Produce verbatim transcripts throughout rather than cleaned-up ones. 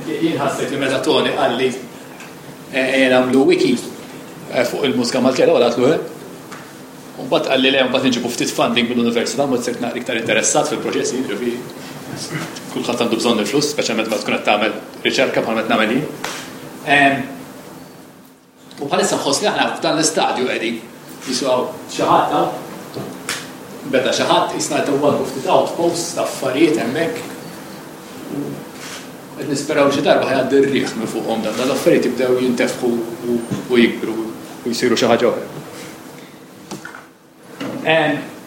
Jien ħassejt li meta Tony qalli ejja nagħmlu wiki eh, fuq il-mużika Maltija, l-ewwel għedtlu eh. U mbagħad qalli le, mbagħad nġibu ftit funding mill-università, mbagħad sirt naqra iktar interessat fil-proġessi, ġifieri kulħadd għandu bżonn il-flus, speċjalment meta tkun qed tagħmel riċerka bħal meta nagħmel jien. U bħalissa nħoss li aħna f'dan l-istadju qegħdin jiswaw xi ħadd beda xi ħadd jisna qed ftit outposts ta' affarijiet hemmhekk. Qed nisperaw xi darba ħa jgħaddi r-riħ minn fuqhom dan l-affarijiet jibdew jintefħu u jikbru u jsiru xi ħaġa oħra.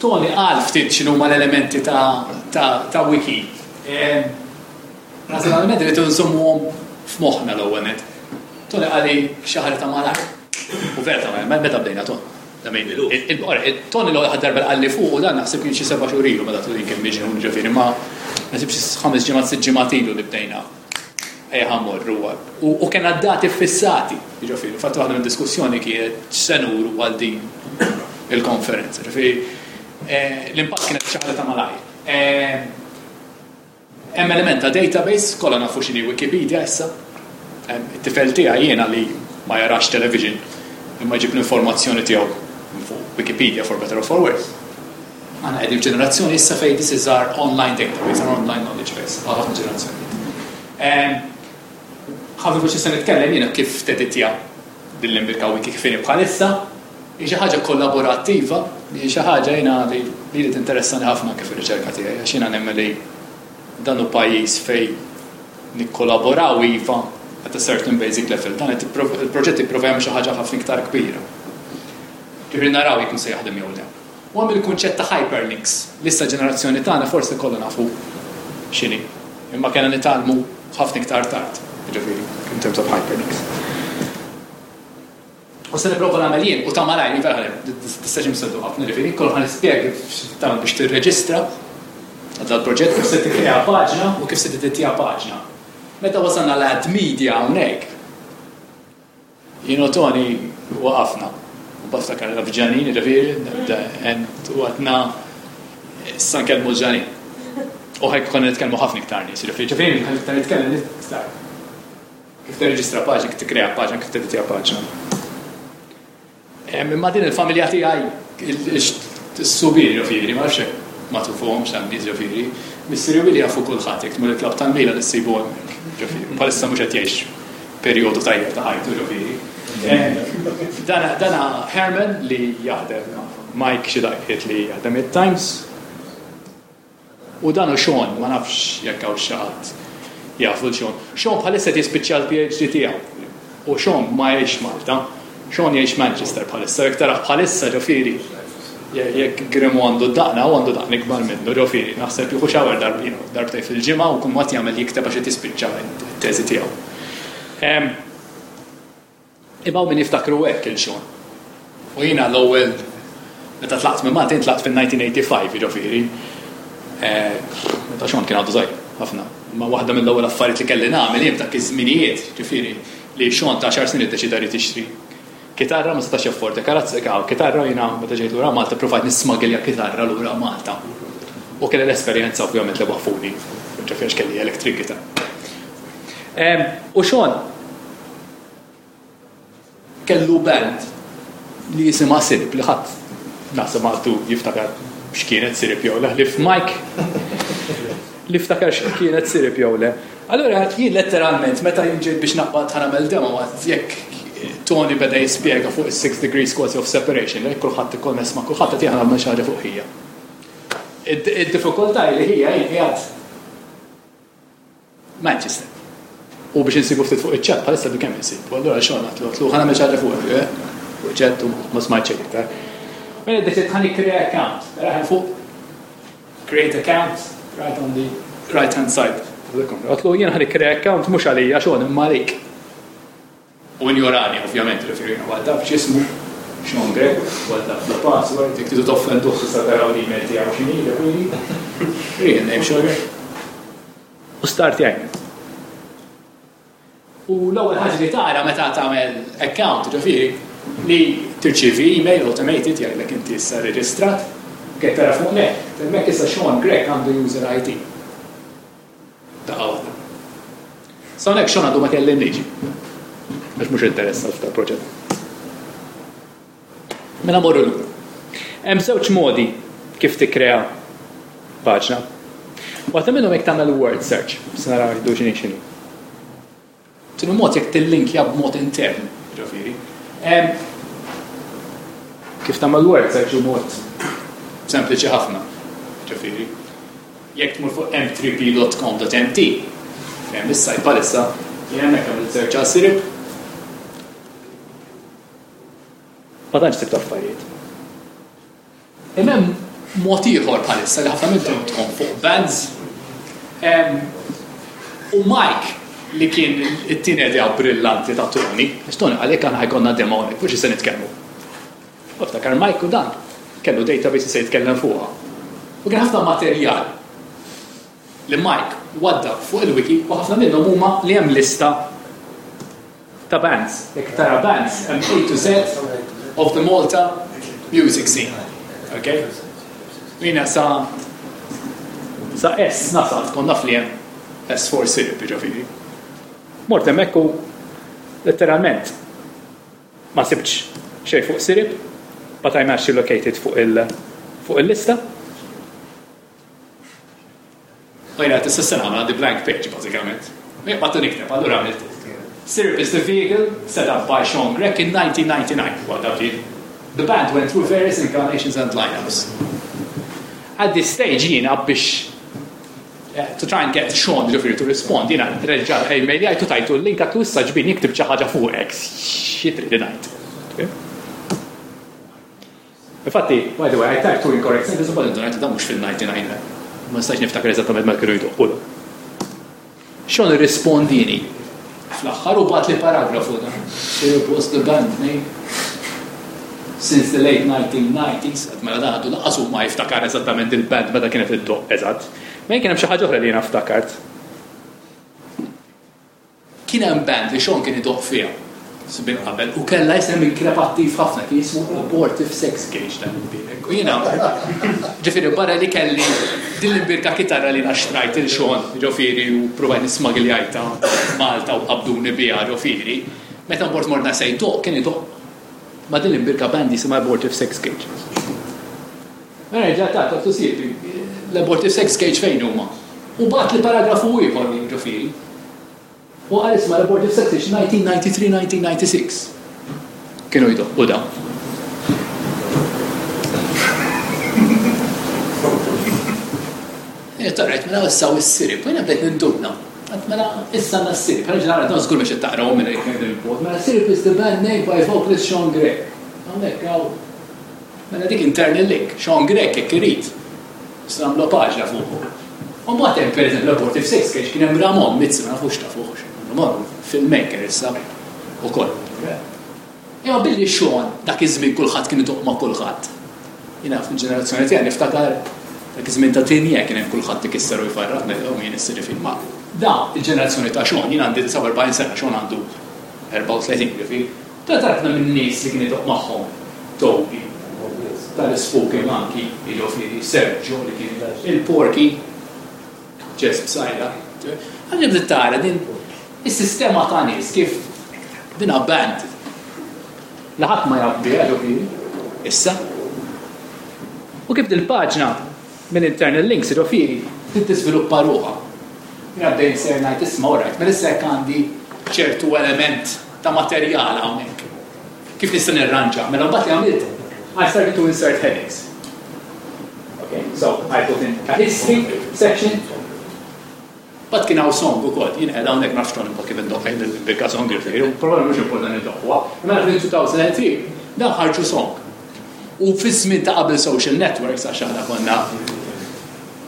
Tony qal ftit x'inhuma l-elementi ta' wiki. Naħseb l-elementi li nżommuhom f'moħħna l-ewwel net. Tony qalli xi ħaġa ta' malajr. U vera ta' malajr, meta bdejna Tony? Tony l-ewwel darba qalli fuq u dan naħseb kien xi seba' xhur ilu meta Tony kien miġnun, ġifieri, ma naħseb xi ħames ġimgħat, sitt ġimgħat ilu li bdejna. Ejja mmorru. U kena dati fissati, ġifieri, fatt waħda minn diskussjoni kienet x'se nuru għal din il-konferenza. Ġifieri, l-impatt kienet xi ħaġa ta' malajr. Hemm element ta' database, kollha nafu x'inhi Wikipedia issa. It-tifel tiegħi jiena li ma jarax television imma jġib l-informazzjoni tiegħu fuq Wikipedia, for better or for worse. Aħna qegħdin f'ġenerazzjoni issa fejn this is our online database, our online knowledge base, għal ħafna ġenerazzjonijiet. Ħafna fuq se nitkellem jiena kif teditja din l-imbirka wiki kif inhi bħalissa, hi xi ħaġa kollaborattiva, hi xi ħaġa jiena li li tinteressani ħafna kif ir-riċerka tiegħi, għax jiena nemmen li dan hu pajjiż fejn nikkollaboraw iva at a certain basic level. Dan il-proġett jipprova jagħmel xi ħaġa ħafna iktar kbira. Ġifieri naraw jekk se jaħdem jew le. U hemm il-kunċett ta' hyperlinks. L-issa ġenerazzjoni tagħna forsi kollha nafu x'inhi. Imma kellna nitgħallmu ħafna iktar tard, ġifieri, in terms of hyperlinks. U se nipprova nagħmel jien u ta' malajr, vera tistax imseddu ħafna, ġifieri, kollu ħa nispjega kif tagħmel biex tirreġistra għal dal-proġett, kif se tikkrea paġna u kif se tiddittja paġna. Meta wasalna l-add media hawnhekk, jien u Tony waqafna. U baftakar f'Ġanin, ġifieri, u għedna issa nkellmu Ġanin. U ħajk konna nitkellmu ħafna iktar nies, ġifieri, ġifieri, iktar nitkellem iktar. Kif tirreġistra paġna, kif tikkrea paġna, kif tiddittja paġna. Imma din il-familja tiegħi, is-subir, ġifieri, ma nafx ma tufuhomx hemm nies, ġifieri, missieri Willi jafu kulħadd, jekk tmur il-klabb tal-Mila li ssibu hemmhekk, ġifieri, bħalissa mhux qed jgħix perjodu tajjeb ta' ħajtu, ġifieri. Dana, dana Herman li jaħdem Mike xi daqqiet li jaħdem it-Times. U dan u Sean, ma nafx jekk hawn xi ħadd jafu l-Sean. Sean bħalissa qed jispiċċa l-P H D tiegħu. U Sean ma jgħix Malta. Sean jgħix Manchester bħalissa, jekk taraħ bħalissa, ġifieri, jekk Grimu għandu daqna u għandu daqna ikbar minnu, ġifieri, naħseb jieħu shower darbtejn, darbtejn fil-ġimgħa u kull ma jagħmel jikteb għax qed jispiċċa t-teżi tiegħu. Imma min jiftakru hekk il-Sean. U jiena l-ewwel meta tlaqt minn Malta, tlaqt fil-elf disa' mija u ħamsa u disgħin, ġifieri. Meta Sean kien għadu żgħir ħafna. Ma waħda mill-ewwel affarijiet li kelli nagħmel jien f'dak iż-żminijiet, ġifieri, li Sean ta' għaxar snin iddeċida li tixtri kitarra, ma setax jaffordja karazza, kitarra, jiena meta ġejt lura Malta provajt nismagilja kitarra lura Malta. U kelli l-esperjenza ovvjament li waqfuni, ġifieri kelli electric guitar. U Sean kellu band li jisimha Sirip, li ħadd naħseb għadu jiftakar x'kienet Sirip jew le, li f'Mike li ftakar x'kienet Sirip jew le. Allura jien letteralment meta jien ġejt biex naqbad ħa nagħmel demo, jekk Tony beda jispjega fuq is-six degrees quality of separation, li kulħadd ikkonness ma' kulħadd, qed nagħmel xi ħaġa fuq ħija. Id-diffikultà li ħija jien qiegħed Manchester. U biex insibu ftit fuq iċ-chat bħalissa bi kemm insib. U allura xogħol għedtlu għedtlu ħa nagħmel xi ħaġa fuq eh, fuq chat u ma smajt xejn iktar. Mela deċidt ħa nikkrea account. Raħen fuq create account right on the right hand side. Għedtlu jien ħa nikkrea account mhux għalija xogħol imma għalik. U injorani, ovvjament, referi għal taf x'ismu, Sean Grech, għal taf l-password, jekk tridu toffenduh tista' taraw l-email tiegħu x'inhi, ġifieri. Real name Sean Grech. U start jgħid. U l-ewwel ħaġa li tara meta tagħmel account, ġifieri, li tirċievi email automated jgħidlek inti issa reġistrat, kif tara fuq net, hemmhekk issa Sean Grech għandu user I D. Daqqa waħda. Sa hawnhekk Sean għadu ma kellimniex. Għax mhux interessat f'dal-proġett. Mela morru lura. Hemm żewġ modi kif tikkrea paġna. Waħda minnhom jekk tagħmel word search, se naraw jiddu x'inhi x'inhi. Tieni mod jekk tillinkja b'mod intern, ġifieri. Kif tagħmel word search hu mod sempliċi ħafna, ġifieri. Jekk tmur fuq m three p dot com dot M T, fejn is-site bħalissa, jien hemmhekk għamilt search għal Sirip. Ma tantx sibt affarijiet. Imma hemm mod ieħor bħalissa li ħafna minnkom tkun fuq bands. U Mike li kien it-tieni idea brillanti ta' Tony, għax Tony għalhekk aħna ħa jkollna demo hawnhekk, fuq xi se nitkellmu. U ftakar Mike u dan kellu database se jitkellem fuqha. U kien ħafna materjal li Mike wadda fuq il-wiki u ħafna minnhom huma li hemm lista ta' bands. Jekk tara bands, hemm A to Z of the Malta music scene. Okay? Jiena sa sa S nasal, kont naf li hemm S for Sirip, ġifieri. Mort hemmhekk u letteralment ma sibtx xejn fuq Sirip, but I'm actually located fuq il fuq il-lista. U jiena tista' sena għandi blank page bażikament. Jien nikteb, allura għamilt. Sirip is the vehicle set up by Sean Grech in nineteen ninety-nine. What that did. The band went through various incarnations and lineups. At this stage, jiena biex eh, to try and get Sean, ġifieri, to respond, jiena reġa' email jgħajtu tajtu l-link għattu issa ġbin jiktib xi ħaġa fuqek, xi trid ngħid. Okay? Infatti, by the way, I typed two incorrect sentences, but ngħid dan mhux fil-ninety-nine. Ma nistax niftakar eżattament ma kienu jdoqqu. Sean irrispondini fl-aħħar u bagħatli paragrafu da. Sirip was the band name since the late nineteen nineties, għad mela dan għadu lanqas ma jiftakar eżattament il-band meta kienet iddoqq eżatt. Ma kien hemm xi ħaġa oħra li jiena ftakart. Kien hemm band li Sean kien idoqq fiha sbin qabel u kellha isem inkrepattiv ħafna, kien jismu Abortive Sex Cage dan il-birek. U jiena ġifieri barra li kelli din l-imbirka kitarra li xtrajt lil Sean, ġifieri, u provajt nismagljajtha Malta u qabduni biha, ġifieri, meta mort morna se jdoqq, kien idoqq ma' din l-imbirka band jisimha Abortive Sex Cage. Mela ġa ta' ta' tusib, l-Abortive Sex Cage fejn huma? U bagħatli paragrafu ieħor, ġifieri. U għal isma l-Abortive Sex Cage nineteen ninety-three nineteen ninety-six. Kienu jdoqqu u dawn. Tarajt, mela issa u s-Sirip, u jiena bdejt ninduna. Għat mela issa għandna s-Sirip, għana ġenera dan żgur biex taqraw minn il-pod. Mela Sirip is the band name by vocalist Sean Grech. Hawnhekk hawn. Mela dik internal link, Sean Grech jekk irid. Nistgħu nagħmlu paġna fuqu. U mbagħad hemm pereżempju l-Abortive Sex Cage, kien hemm Ramon Mizzi, ma nafux ta' fuq. Ramon filmmaker issa ukoll. Imma billi Sean dak iż-żmien kulħadd kien idoqq ma' kulħadd. Jiena fil-ġenerazzjoni tiegħi niftakar dak iż-żmien ta' Tinja kien hemm kulħadd ikisser u jfarraq ngħidhom jien issir film. Ma da il-ġenerazzjoni ta' Sean, jien għandi disgħa u erbgħin sena, Sean għandu erbgħa u tletin, ġifieri. Ta' tarakna minn nies li kien idoqq magħhom Toby, tal-Spooky Monkey, jiġifieri Sergio li kien il-Porky, Jess Psaila. Għalli bdiet tara din is-sistema ta' nies kif dina band li ħadd ma jaf biha, ġifieri, issa. U kif dil-paġna minn internal links, ġifieri, tiżviluppa ruħha. Jiena bdejn ser ngħid isma' alright, mela issa jekk għandi ċertu element ta' materjal hawnhekk. Kif nista' nirranġa? Mela mbagħad li għamilt, I started to insert headings. Okay, so I put in a history section. But kien hawn song ukoll, jien qed hawnhekk nafx ton kif indoqq il-bikka song, ġifieri, probably mhux importanti ndoqqwa. Mela fil-two thousand three dan ħarġu song. U fiż-żmien ta' qabel social networks, għax aħna konna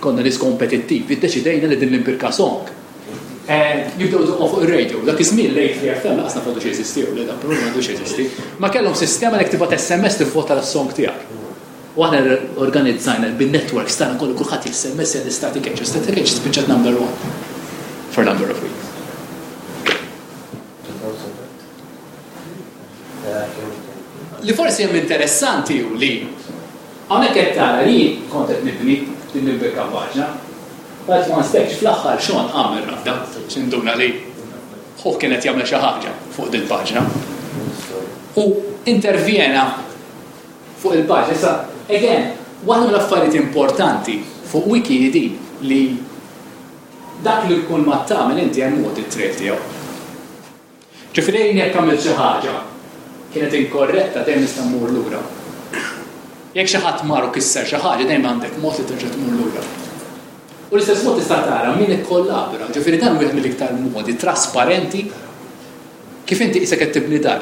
konna nies kompetittivi, iddeċidejna li din l-imbirka song Eh, jibdew idoqqu fuq ir-radio. Dak iż-żmien late three F M lanqas nafu xi jeżisti u le dan problema m'għandux jeżisti. Ma kellhom sistema li tibgħat S M S tivvota l-song tiegħek. U aħna organizzajna bin-networks tagħna kollu kulħadd S M S għal Static Age. Static Age spiċċat number one for a number of weeks. Li forsi hemm interessanti hu li hawnhekk qed tara li kont qed nibni din il-bikka paġna. But one stage fl-aħħar Sean għamel rabda, x'induna li Hu kienet jagħmel xi ħaġa fuq din paġna. U intervjena fuq il-paġna. Issa, again, waħda mill-affarijiet importanti fuq wiki din li dak li kull ma tagħmel inti hemm audit trail tiegħu. Ġifieri jekk għamilt xi ħaġa kienet inkorretta, dejjem nista' mmur lura. Jekk xi ħadd mar u kisser xi ħaġa, dejjem għandek mod li terġa' tmur lura. U l-istess mod tista' tara min ikkollabora, ġifieri dan wieħed mill-iktar modi trasparenti kif inti qisek qed tibni dar.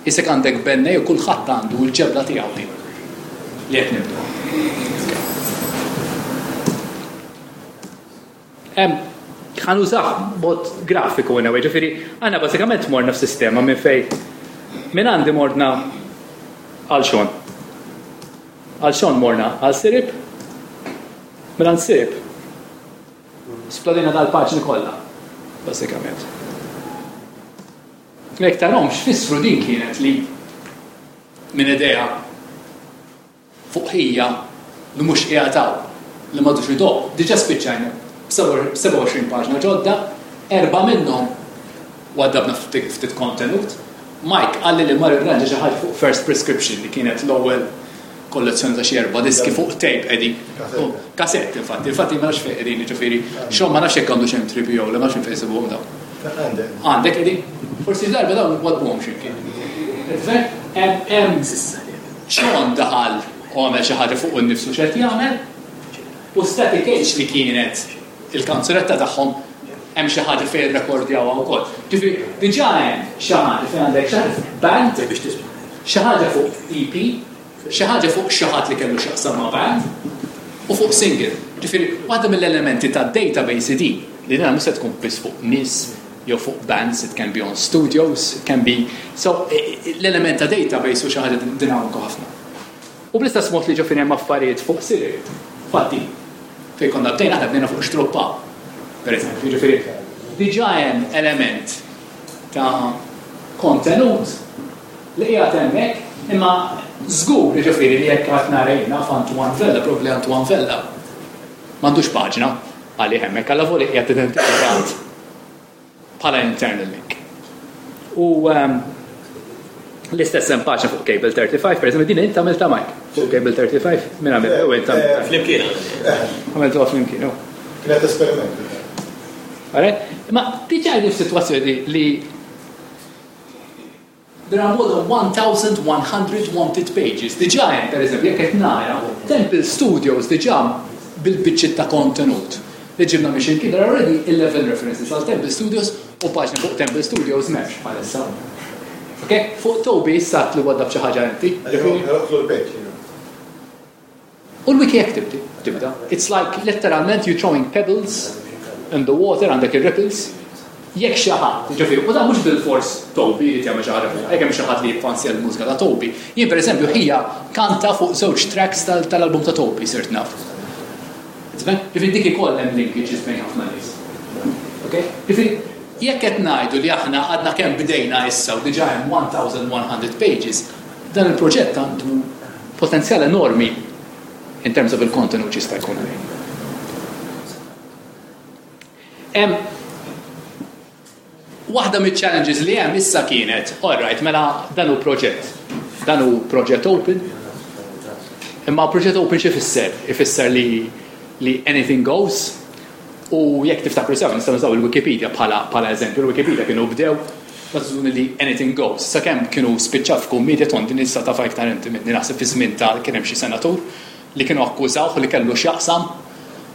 Qisek għandek bennej u kulħadd għandu l-ġebla tiegħu din li qed nibdu. Ħa nużah mod grafiku anyway, ġifieri għandna bażikament morna f'sistema minn fej minn għandi morna għal Sean. Għal Sean morna għal Sirip, minn għand Sirip splodina dal-paġni kollha, bażikament. Jekk tarahom x'fissru din kienet li minn idea fuq ħija li mhux qiegħed hawn, li m'għadux idoq, diġà spiċċajna b'sebgħa u għoxrin paġna ġodda, erba' minnhom waddabna ftit kontenut. Mike qalli li mar irranġa xi ħaġa fuq First Prescription li kienet l-ewwel kollezzjoni ta' xi erba' diski fuq tape qegħdin. Kasett, infatti, infatti ma nafx fejn qegħdin, jiġifieri, xogħol ma nafx jekk għandu xi M three P O, ma nafx fejn isibuhom dawn. Għandek qegħdin? Forsi darba dawn wadbuhom x'imkien. Hemm Sean daħal u għamel xi ħaġa fuq innifsu x'qed jagħmel, u Static Age li kienet il-kanzunetta tagħhom hemm xi ħaġa fejn irrekordjawha wkoll. Ġifieri diġà hemm xi ħaġa fejn għandek xi ħaġa fuq band, xi ħaġa fuq E P, xi ħaġa fuq xi ħadd li kellu x'jaqsam ma' band u fuq single. Ġifieri waħda mill-elementi tad-database din li dina mhux se tkun biss fuq nies jew fuq bands, it can be on studios, it can be. So l-element ta' database hu xi ħaġa dinamiku ħafna. U bl-istess mod li ġifieri hemm affarijiet fuq Siri. Fatti, fejn konna bdejna aħna bdejna fuq xtruppa. Per eżempju, ġifieri diġà hemm element ta' kontenut li qiegħed hemmhekk, imma żgur ġifieri li jekk qed nara jiena f'Antoine Vella, probabbli Antoine Vella m'għandux paġna għalih hemmhekk, alla voli qiegħed identifikat bħala internal link. U, ehm, l-istess hemm paġna fuq Cable thirty-five, per eżempju, din inti għamiltha Mike, fuq Cable thirty-five, min għamil? U inti għamiltha. Flimkien. Għamiltuha flimkien, u. Kienet esperiment. Alright? Ma diġà qegħdin f'sitwazzjoni li there are more than one thousand one hundred wanted pages. Diġà hemm, per eżempju, jekk qed nara, Temple Studios diġà bil-biċċiet ta' kontenut li ġibna minn xi mkien, there are already eleven references għal Temple Studios u paġna fuq Temple Studios m'hemmx bħalissa. Ok? Fuq Toby issa li waddab xi ħaġa inti. U l-wiki jekk tibdi, tibda. It's like literalment you throwing pebbles in the water, għandek ir-ripples. Jekk xi ħadd, ġifieri, u dan mhux bil-fors Toby li jagħmel xi ħaġa fuq, jekk hemm xi ħadd li jiffansja l-mużika ta' Toby. Jien pereżempju ħija kanta fuq żewġ tracks tal-, tal-album ta' Toby sirt naf. Tifhem? Ġifieri dik ikoll hemm linkages bejn ħafna nies. Ok? Ġifieri jekk qed ngħidu li aħna għadna kemm bdejna issa u diġà hemm one thousand one hundred pages, dan il-proġett għandu potenzjal enormi in terms of il-kontenut jista' jkun għalih. Hemm waħda mill-challenges li hemm issa kienet, all right, mela dan hu proġett. Dan hu proġett open. Imma proġett open xi ifisser? Ifisser li, li anything goes. U jekk tiftakru sew, nistgħu nużaw il-Wikipedia bħala, bħala eżempju. Il-Wikipedia kienu bdew mażuni li anything goes. Sakemm kienu spiċċaw f'kummedia ton din issa taf iktar inti minni, naħseb fi żmien ta' kien hemm xi senatur li kienu akkużawh li kellu x'jaqsam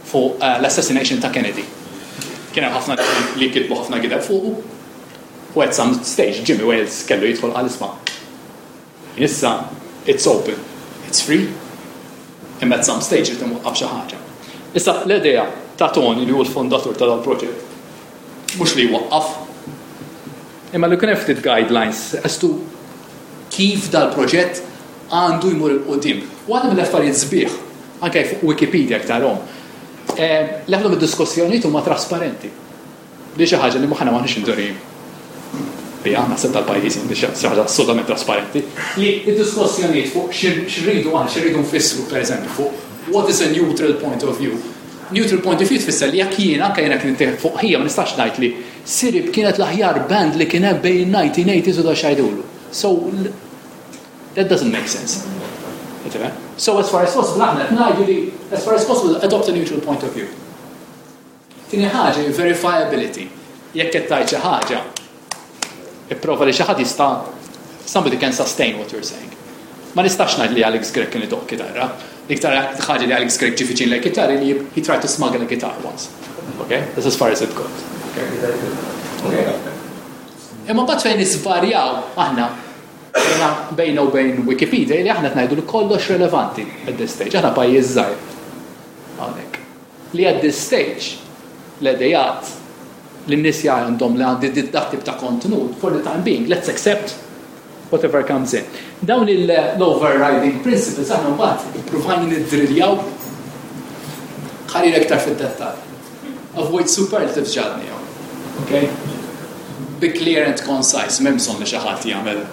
fuq, eh, l-assassination ta' Kennedy. Kien hemm ħafna li kitbu ħafna gideb fuqu. U at some stage Jimmy Wales kellu jidħol għal isma'. Issa it's open, it's free. Imma at some stage irid imwaqqaf xi ħaġa. Issa l-idea ta' Tony li hu l-fondatur ta' dal-proġett mhux li jwaqqaf, imma li kien hemm ftit guidelines as to kif dal-proġett għandu jmur il quddiem. U għadha mill-affarijiet sbieħ, anke fuq Wikipedia tarahom. Eh, l-ħafna mid-diskussjonijiet huma trasparenti. Li xi ħaġa li aħna m'aħniex indurin biha, naħseb tal-pajjiż, li xi ħaġa assolutament trasparenti, li d-diskussjonijiet fuq x'irridu aħna, x'irridu nfissru, pereżempju, fuq what is a neutral point of view. Neutral point of view tfisser li jekk jiena, anke jiena kien fuq ħija, ma nistax ngħid li Sirib kienet l-aħjar band li kien hemm bejn nineteen eighties u da xajdulu. So, that doesn't make sense. So as far as possible, aħna ngħidu li as far as possible adopt a neutral point of view. Tieni ħaġa, verifiability. Jekk qed tgħid xi ħaġa, ipprova li xi ħadd jista', somebody can sustain what you're saying. Ma nistax ngħid li Alex Grech kien idoqq kitarra. L-iktar ħaġa li Alex Grech ġie viċin l-kitarra li he tried to smuggle a guitar once. Okay? That's as far as it got. Okay? Okay. Imma mbagħad fejn nisvarjaw aħna bejna u bejn Wikipedia li aħna ngħidu li kollox relevanti at this stage. Aħna pajjiż żgħir. Hawnhekk. Li at this stage l-idejat li n-nies għandhom li għandi dat tip ta' kontenut, for the time being, let's accept whatever comes in. Dawn l-overriding principles aħna mbagħad ippruvajna niddriljaw ħalli iktar fid-dettall. Avoid superlatives ġadni. Okay? Be clear and concise, m'hemmx bżonn li xi ħadd jagħmel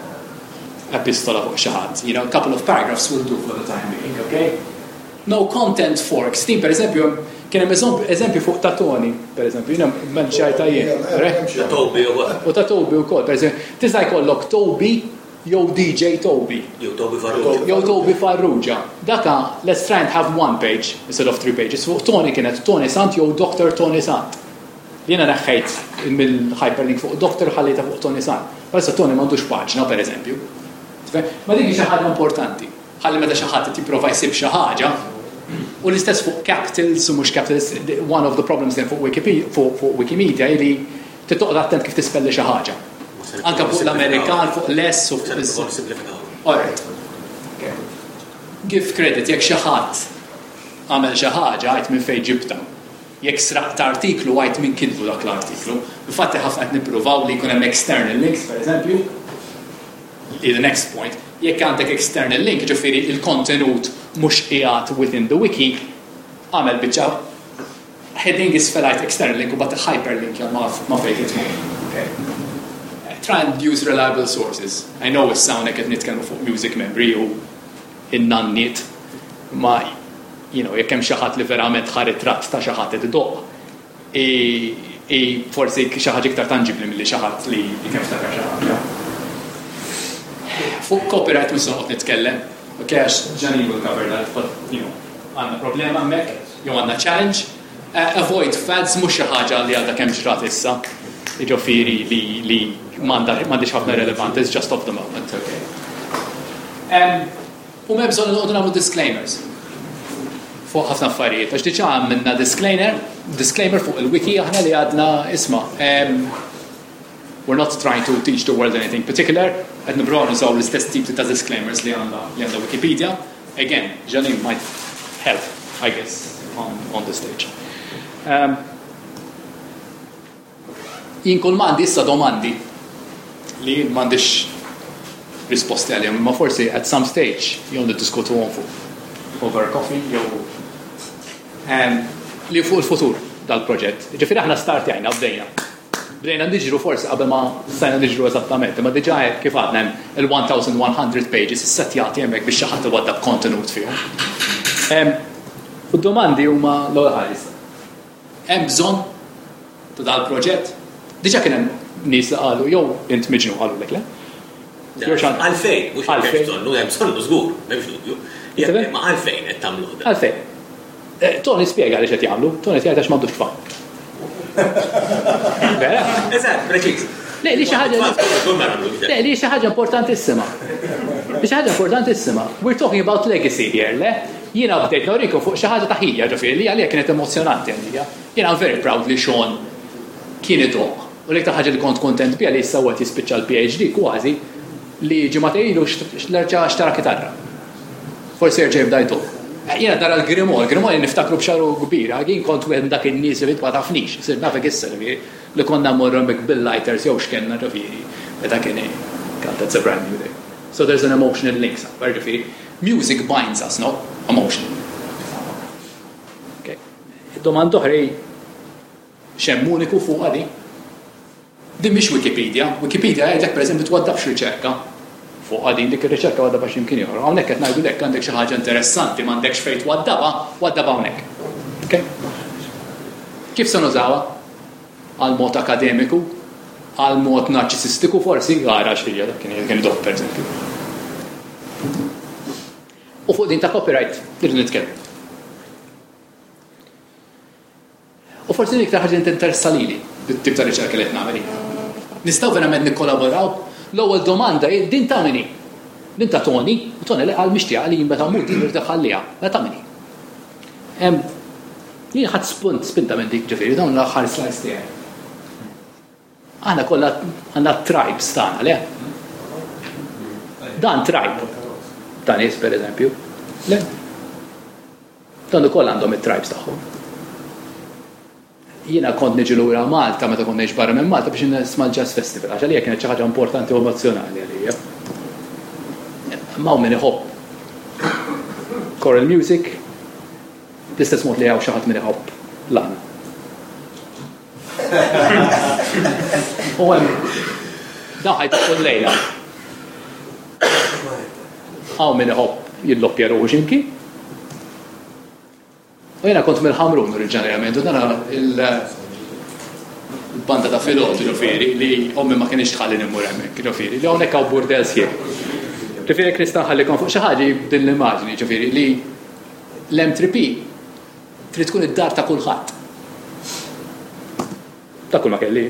epistola fuq xi ħadd. You know, a couple of paragraphs will do for the time being, okay? No content forks. Din, per eżempju, kien hemm eżempju fuq ta' Tony, per eżempju, jiena menxajta jien. Ta' Toby u U ta' Toby wkoll, per eżempju, tista' jkollok Toby jew D J Toby. Jew Toby Farrugia. Jew Toby Farrugia. Daka, let's try and have one page instead of three pages. Fuq Tony kienet Tony Sant jew Doctor Tony Sant. Jiena neħħejt mill-hyperlink fuq Doctor, ħallejta fuq Tony Sant. Issa Tony m'għandux paġna, per eżempju. Ma dik xi ħaġa importanti. Ħalli meta xi ħadd jipprova jsib xi ħaġa, u l-istess fuq capitals u mhux capitals, one of the problems then fuq Wikipedia, fuq Wikimedia li titoqgħod attent kif tispelli xi ħaġa. Anka fuq l-Amerikan, fuq l-S u fuq. Alright. Okay. Give credit, jekk xi ħadd għamel xi ħaġa, għid minn fejn ġibta. Jekk sraqt artiklu, għid minn kitbu dak l-artiklu. Infatti ħafna qed nippruvaw li jkun hemm external links, per eżempju. The next point, jekk għandek external link, ġifieri il-kontenut mhux qiegħed within the wiki, għamel biċċa heading isfel għid external link u bat hyperlink ma ma fejn tmur. Okay. Try and use reliable sources. I know issa hawnhekk qed nitkellmu fuq music memory u in-nanniet, ma you know, jekk hemm xi ħadd li verament ħa ritratt ta' xi ħadd qed idoqq, i forsi xi ħaġa iktar tangibbli milli xi ħadd li kemm ftakar xi ħaġa. Fuq copyright mhux se noqgħod nitkellem, ok, għax Janine will cover that, but you know, għandna problema hemmhekk, jew għandna challenge. Uh, avoid fads, mhux xi ħaġa li għadha kemm ġrat issa, jiġifieri li li m'għandix ħafna relevant, it's just of the moment, okay. Um, u m'hemm bżonn noqogħdu nagħmlu disclaimers fuq ħafna affarijiet, għax diġà għamilna disclaimer, disclaimer fuq il-wiki aħna li għadna isma'. Um, we're not trying to teach the world anything particular, qed nippruvaw nużaw l-istess tip ta' disclaimers li għandha li għandha Wikipedia. Again, Janine might help, I guess, on, on the stage. Um, jien kull m'għandi issa domandi li m'għandix risposti għalihom, imma forsi at some stage jew niddiskutuhom fuq over coffee jew um, li fuq il-futur dal-proġett. Ġifieri aħna startjajna, bdejna. Bdejna niġru forsi qabel ma stajna niġru eżattament, imma diġà kif għadna hemm il-elf u mija pages issettjati hemmhekk biex xi ħadd iwaddab kontenut fihom. U d-domandi huma l-ewwel ħaġa. Hemm bżonn ta' dal-proġett? Diġà kien hemm nies li qalu jew int miġnun, qalu lek le? Għalfejn, mhux hemm bżonnu, hemm bżonnu żgur, m'hemmx dubju. Ma għalfejn qed tagħmluh da? Għalfejn. Tony spjega li qed jagħmlu, Tony jgħid għax m'għandux tfal. Vera? Eżatt, preċiż. Le, li xi ħaġa Le, li xi ħaġa importantissima. Li xi ħaġa importantissima. We're talking about legacy here, le? Jiena bdejt norikom fuq xi ħaġa ta' ħija, ġifieri li għalija kienet emozjonanti għalija. Jiena I'm very proud li Sean kien idoqq. U l-iktar ħaġa li kont kontent biha li issa waqt jispiċċa l-P H D kważi li ġimgħa ilu reġa' xtara kitarra. Forsi jerġa' jibda jdoqq. Jiena nara l-Grimol, Grimol niftakru b'xagħru kbira, jien kont wieħed dak in-nies li ma tafnix, sir nafek issa li konna mmorru hemmhekk bil-lighters jew x'kenna, ġifieri, meta kien. God, that's a brand new day. So there's an emotional link somewhere, ġifieri. Music binds us, no? Emotion. Okay. Domanda oħra, x'hemm uniku fuq għadi? Din mhix Wikipedia. Wikipedia jgħidlek pereżempju twaddabx riċerka fuq għadin, dik ir-riċerka waddabha x'imkien ieħor. Hawnhekk qed ngħidu lek għandek xi ħaġa interessanti m'għandekx fejn twaddabha, waddabha hawnhekk. Okay? Kif se nużawha? Għal mod akademiku, għal mod narċisistiku forsi, għara xija, dak kien kien idoqq, per eżempju. U fuq din ta' copyright, irridu nitkellmu. U forsi din iktar ħaġa li tinteressa lili, bit-tip ta' riċerka li qed nagħmel jien. Nistgħu verament nikkolaboraw? L-ewwel domanda hi din ta' min hi? Din ta' Tony, u Tony li qal mixtieqa li jien meta mmut din irid iħalliha. Mela ta' min hi? Hemm jien ħadd spunt spinta minn dik, ġifieri dawn l-aħħar slides tiegħi. Aħna kollha għandna tribes tagħna, le? Dan tribe. Ta' nies, per eżempju. Le? Dan ukoll għandhom it-tribes tagħhom. Jiena kont niġi lura Malta meta kont ngħix barra minn Malta biex nisma' l-Jazz Festival, għax għalija kienet xi ħaġa importanti u emozjonali għalija. Ma hawn min iħobb choral music, bl-istess mod li hawn xi ħadd min iħobb l-għana. U hemm dawn ħajtu kull lejla. Hawn min iħobb jilloppja ruħu x'imkien. U jiena kont mill-Ħamrun oriġinarjament, u dan il-banda ta' filgħodu, ġifieri, li ommi ma kienx tħalli immur hemmhekk, ġifieri, li hawnhekk hawn burdel sħiħ. Ġifieri jekk nista' nħallikom fuq xi ħaġa din l-immaġni, ġifieri, li l-M three P trid tkun id-dar ta' kulħadd. Ta' kull ma kelli.